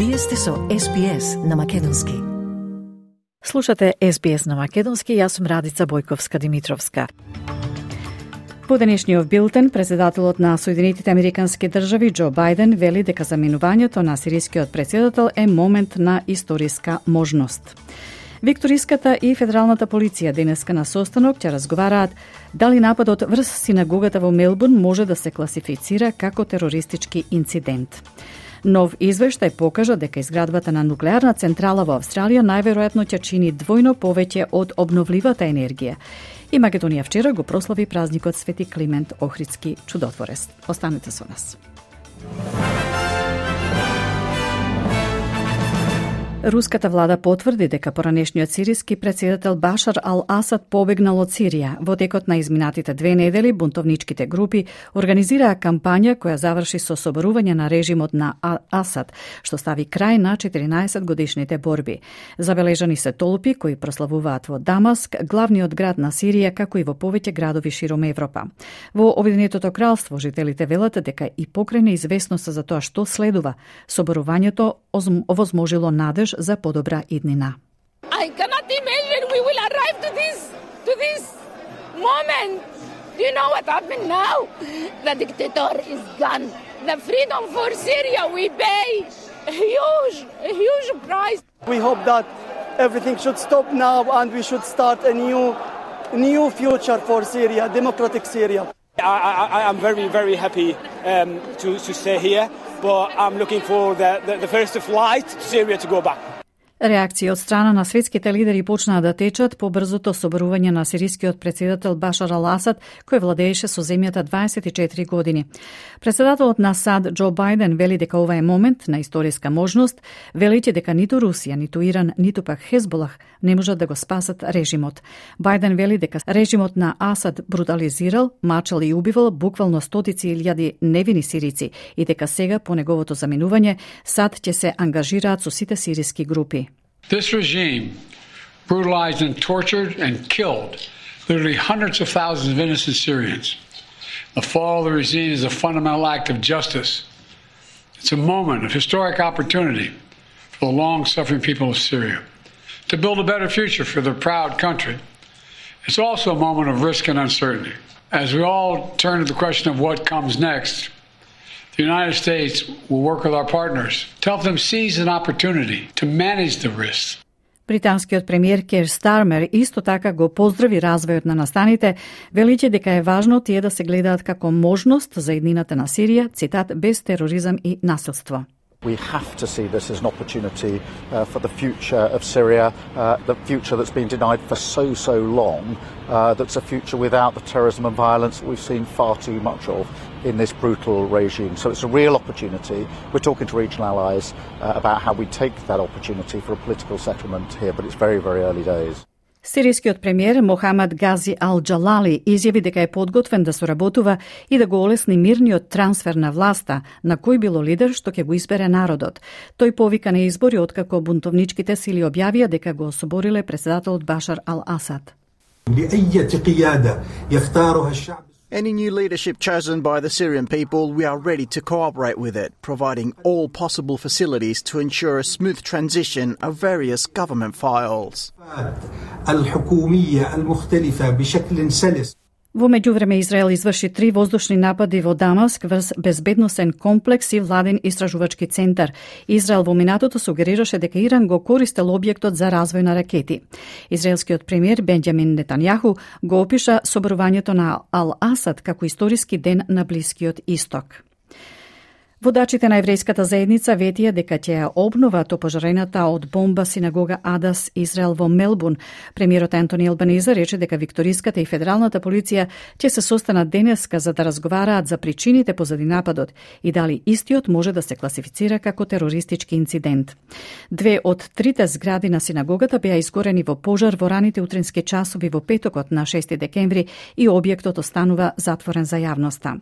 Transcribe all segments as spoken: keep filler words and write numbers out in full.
Вие сте со Ес Би Ес на Македонски. Слушате Ес Би Ес на Македонски, јас сум Радица Бојковска-Димитровска. По денешниот билтен, председателот на Соединетите Американски држави Џо Бајден вели дека заминувањето на сирискиот председател е момент на историска можност. Викториската и федералната полиција денеска на состанок ќе разговараат дали нападот врз синагогата во Мелбурн може да се класифицира како терористички инцидент. Нов извештај покажа дека изградбата на нуклеарна централа во Австралија најверојатно ќе чини двојно повеќе од обновливата енергија. И Македонија вчера го прослави празникот Свети Климент Охридски чудотворец. Останете со нас. Руската влада потврди дека поранешниот сириски председател Башар ал-Асад побегнал од Сирија. Во текот на изминатите две недели бунтовничките групи организираа кампања која заврши со соборување на режимот на Асад, што стави крај на четиринаесет годишните борби. Забележани се толпи кои прославуваат во Дамаск, главниот град на Сирија, како и во повеќе градови широм Европа. Во Обединетото кралство жителите велат дека и покрај неизвестност за тоа што следува, соборувањето овозможило надеж за подобра иднина. I cannot imagine we will arrive to this to this moment. Do you know what happened now? The dictator is gone. The freedom for Syria we pay a huge, a huge price. We hope that everything should stop now and we should start a new, new future for Syria, democratic Syria. I, I, I'm very, very happy um, to, to stay here, but I'm looking for the, the, the first flight to Syria to go back. Реакции од страна на светските лидери почнаа да течат по брзото соборување на сирискиот председател Башар ал-Асад, кој владееше со земјата дваесет и четири години. Председателот на САД Џо Бајден вели дека ова е момент на историска можност, велејќи дека ниту Русија, ниту Иран, ниту пак Хезболах не можат да го спасат режимот. Бајден вели дека режимот на Асад брутализирал, мачал и убивал буквално стотици илјади невини сирици и дека сега по неговото заминување САД ќе се ангажираат со сите сириски групи. This regime brutalized and tortured and killed literally hundreds of thousands of innocent Syrians. The fall of the regime is a fundamental act of justice. It's a moment of historic opportunity for the long-suffering people of Syria to build a better future for their proud country. It's also a moment of risk and uncertainty. As we all turn to the question of what comes next, the United States will work with our partners to help them seize an opportunity to manage the risks. Британскиот премиер Кер Стармер исто така го поздрави развојот на настаните, велиќе дека е важно тие да се гледаат како можност за иднината на Сирија, цитат, без тероризам и насилство. We have to see this as an opportunity uh, for the future of Syria, uh, the future that's been denied for so, so long, uh, that's a future without the terrorism and violence that we've seen far too much of in this brutal regime. So it's a real opportunity. We're talking to regional allies uh, about how we take that opportunity for a political settlement here, but it's very, very early days. Сирискиот премиер Мохамед Гази ал-Џалали изјави дека е подготвен да соработува и да го олесни мирниот трансфер на власта на кој било лидер што ќе го избере народот. Тој повика на избори откако бунтовничките сили објавија дека го особориле председателот Башар ал-Асад. Any new leadership chosen by the Syrian people, we are ready to cooperate with it, providing all possible facilities to ensure a smooth transition of various government files. Во меѓувреме Израел изврши три воздушни напади во Дамаск врз безбедносен комплекс и владен истражувачки центар. Израел во минатото сугерираше дека Иран го користел објектот за развој на ракети. Израелскиот премиер Бенџамин Нетањаху го опиша соборувањето на Ал-Асад како историски ден на Блискиот Исток. Водачите на еврејската заедница ветија дека ќе ја обноват опожарената од бомба синагога Адас Израел во Мелбурн. Премиерот Антони Албаниза рече дека викториската и федералната полиција ќе се состанат денеска за да разговараат за причините позади нападот и дали истиот може да се класифицира како терористички инцидент. Две од трите згради на синагогата беа изгорени во пожар во раните утрински часови во петокот на шести декември и објектот останува затворен за јавноста.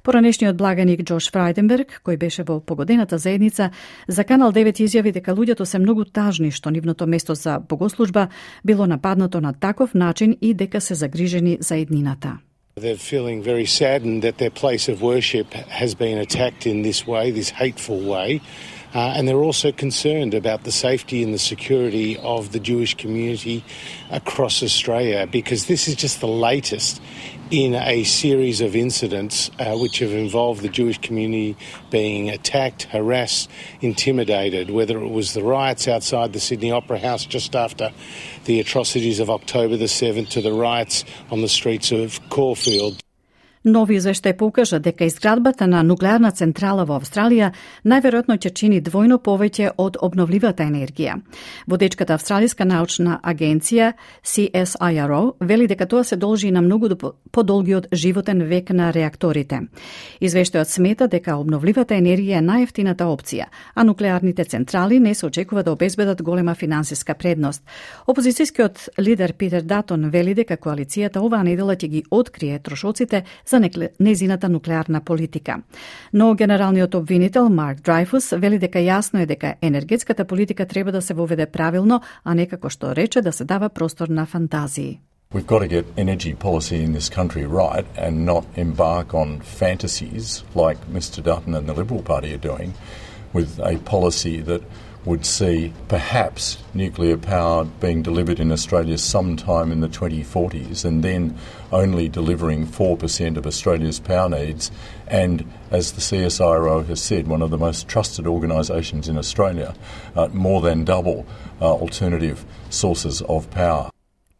Поранешниот благаник Џош Фрајденберг, кој беше во погодената заедница, за Канал девет изјави дека луѓето се многу тажни што нивното место за богослужба било нападнато на таков начин и дека се загрижени за иднината. They're feeling very saddened that their place of worship has been attacked in this way, this hateful way. Uh, and they're also concerned about the safety and the security of the Jewish community across Australia, because this is just the latest in a series of incidents uh, which have involved the Jewish community being attacked, harassed, intimidated, whether it was the riots outside the Sydney Opera House just after the atrocities of October the seventh to the riots on the streets of Caulfield. Нови извештај покажа дека изградбата на нуклеарна централа во Австралија најверојатно ќе чини двојно повеќе од обновливата енергија. Водечката австралиска научна агенција C S I R O вели дека тоа се должи на многу подолгиот животен век на реакторите. Извештајот смета дека обновливата енергија е најевтината опција, а нуклеарните централи не се очекува да обезбедат голема финансиска предност. Опозицијскиот лидер Питер Датон вели дека коалицијата оваа недела ќе ги открие трошоците за незината нуклеарна политика. Но генералниот обвинител Марк Драйфус вели дека јасно е дека енергетската политика треба да се воведе правилно, а не како што рече да се дава простор на фантазии. We've got to get energy policy in this country right and not embark on fantasies like Mister Dutton and the Liberal Party are doing with a policy that would see perhaps nuclear power being delivered in Australia sometime in the twenty forties and then only delivering four percent of Australia's power needs, and as the C S I R O has said, one of the most trusted organisations in Australia, uh, more than double uh, alternative sources of power.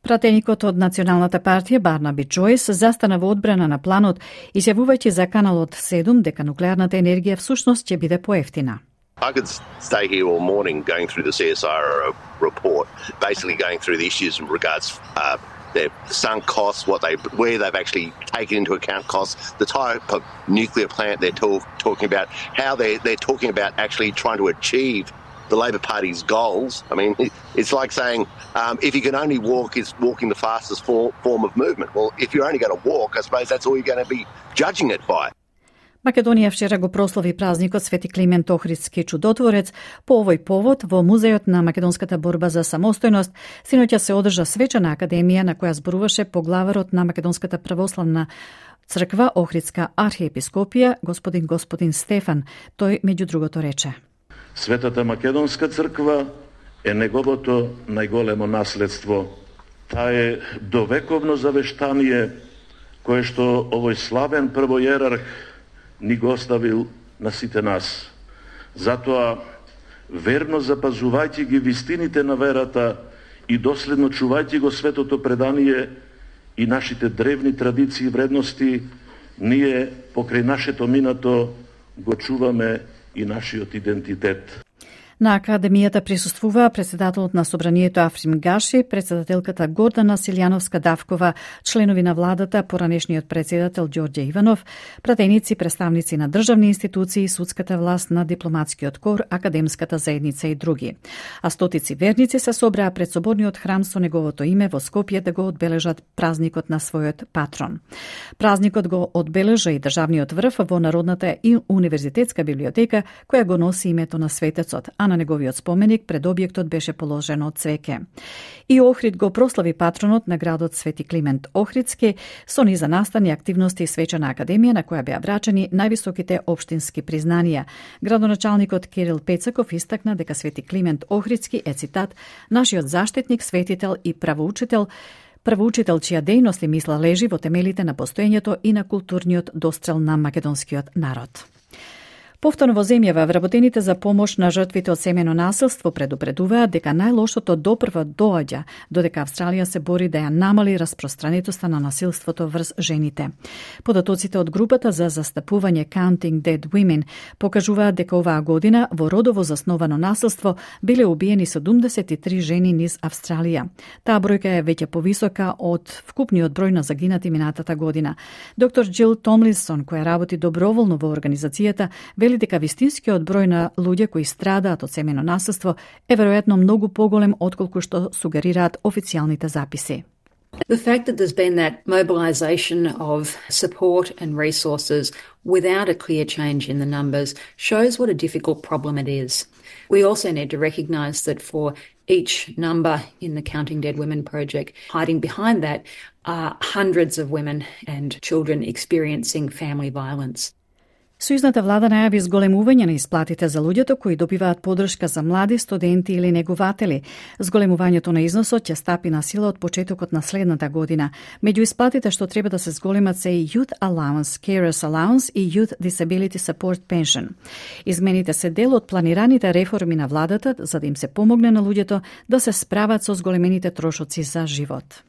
Пратеникот од Националната партија Барнаби Джойс застана во одбрана на планот, изјавувајќи за Каналот седум дека нуклеарната енергија всушност ќе биде поевтина. I could stay here all morning going through the C S I R O report, basically going through the issues in regards uh, their sunk costs, what they, where they've actually taken into account costs, the type of nuclear plant they're talk, talking about, how they're, they're talking about actually trying to achieve the Labor Party's goals. I mean, it's like saying um, if you can only walk, is walking the fastest for, form of movement. Well, if you're only going to walk, I suppose that's all you're going to be judging it by. Македонија вчера го прослави празникот Свети Климент Охридски чудотворец. По овој повод во Музејот на македонската борба за самостојност синоќа се одржа свечена академија на која зборуваше поглаварот на Македонската православна црква Охридска архиепископија господин господин Стефан. Тој меѓу другото рече: Светата Македонска црква е неговото најголемо наследство. Таа е довековно завештание кое што овој славен првојерарх ни го оставил на сите нас. Затоа, верно запазувајќи ги вистините на верата и доследно чувајќи го светото предание и нашите древни традиции и вредности, ние покрај нашето минато го чуваме и нашиот идентитет. На академијата присуствуваа председателот на собранието Африм Гаши, председателката Гордана Силјановска-Давкова, членови на владата, поранешниот председател Ѓорѓе Иванов, пратеници, представници на државни институции, судската власт, на дипломатскиот кор, академската заедница и други. А стотици верници се собраа пред соборниот храм со неговото име во Скопје да го одбележат празникот на својот патрон. Празникот го одбележа и државниот врв во Народната и универзитетска библиотека, која го носи името на светецот, а на неговиот споменик пред објектот беше положено цвеќе. И Охрид го прослави патронот на градот Свети Климент Охридски со низа настани активности и свечена академија на која беа врачени највисоките општински признанија. Градоначалникот Кирил Пецаков истакна дека Свети Климент Охридски е, цитат, нашиот заштитник, светител и правоучител, правоучител чија дејност и мисла лежи во темелите на постоењето и на културниот дострел на македонскиот народ. Повторно во земјава, вработените за помош на жртвите од семејно насилство предупредуваат дека најлошото допрва доаѓа, додека Австралија се бори да ја намали распространетоста на насилството врз жените. Податоците од групата за застапување Counting Dead Women покажуваат дека оваа година во родово засновано насилство биле убиени седумдесет и три жени низ Австралија. Таа бројка е веќе повисока од вкупниот број на загинати минатата година. Доктор Џил Томлинсон, која работи доброволно во организацијата, вели дека вистинскиот број на луѓе кои страдаат од семејно насилство е веројатно многу поголем отколку што сугерираат официјалните записи. The fact that there's been that mobilisation of support and resources without a clear change in the numbers shows what a difficult problem it is. We also need to recognise that for each number in the Counting Dead Women project, hiding behind that are hundreds of women and children experiencing family violence. Сојузната влада најави зголемување на исплатите за луѓето кои добиваат подршка за млади, студенти или негователи. Зголемувањето на износот ќе стапи на сила од почетокот на следната година. Меѓу исплатите што треба да се зголемат се и Youth Allowance, Carers Allowance и Youth Disability Support Pension. Измените се дел од планираните реформи на владата за да им се помогне на луѓето да се справат со зголемените трошоци за живот.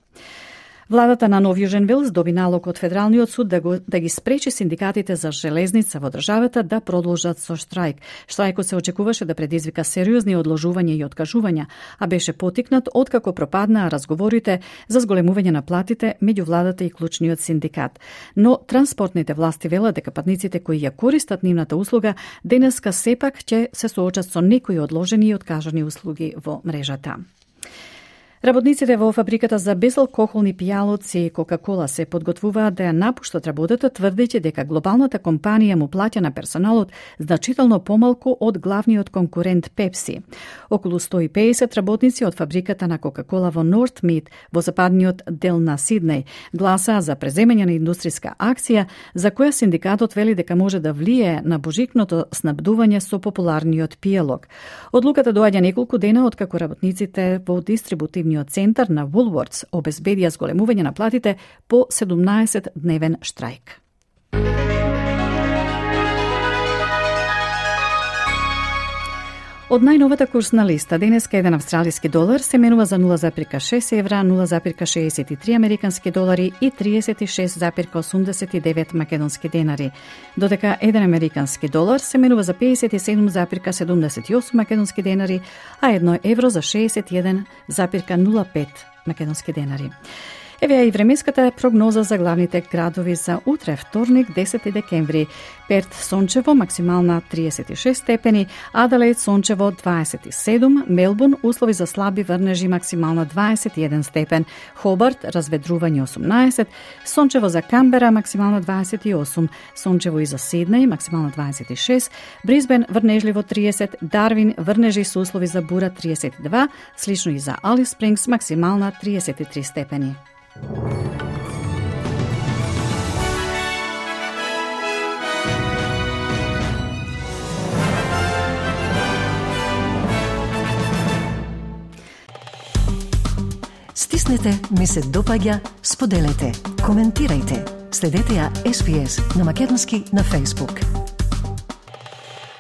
Владата на Нов Јужен Велс доби налог од Федералниот суд да, го, да ги спречи синдикатите за железница во државата да продолжат со штрајк. Штрајкот се очекуваше да предизвика сериозни одложувања и откажувања, а беше потикнат откако пропаднаа разговорите за зголемување на платите меѓу владата и клучниот синдикат. Но транспортните власти велат дека патниците кои ја користат нивната услуга денеска сепак ќе се соочат со некои одложени и откажани услуги во мрежата. Работниците во фабриката за безалкохолни пијалоци Кока-Кола се подготвуваат да ја напуштат работата, тврдејќи дека глобалната компанија му плаќа на персоналот значително помалку од главниот конкурент Пепси. Околу сто и педесет работници од фабриката на Кока-Кола во Нортмид, во западниот дел на Сиднеј, гласаа за преземање на индустријска акција, за која синдикатот вели дека може да влијае на божикното снабдување со популарниот пијалок. Одлуката доаѓа неколку дена откако работниците во дистрибутивниот центар на Woolworths обезбедија зголемување на платите по седумнаесет дневен штрајк. Од најновата курсна листа, денеска еден австралиски долар се менува за нула запирка шест евра, нула запирка шеесет и три американски долари и триесет и шест запирка осумдесет и девет македонски денари, додека еден американски долар се менува за педесет и седум запирка седумдесет и осум македонски денари, а едно евро за шеесет и еден запирка нула пет македонски денари. Еве и временската прогноза за главните градови за утре, вторник, десети декември. Перт сончево, максимална триесет и шест степени, Аделаид сончево дваесет и седум, Мелбурн услови за слаби врнежи, максимална дваесет и еден степен, Хобарт разведрување осумнаесет, сончево за Камбера, максимална дваесет и осум, сончево и за Сиднеј, максимална дваесет и шест, Брисбен врнежливо триесет, Дарвин врнежи со услови за бура триесет и два, слично и за Алис Спрингс, максимална триесет и три степени. Стиснете, ми се допаѓа, споделете, коментирајте. Следете ја Ес Би Ес на македонски на Facebook.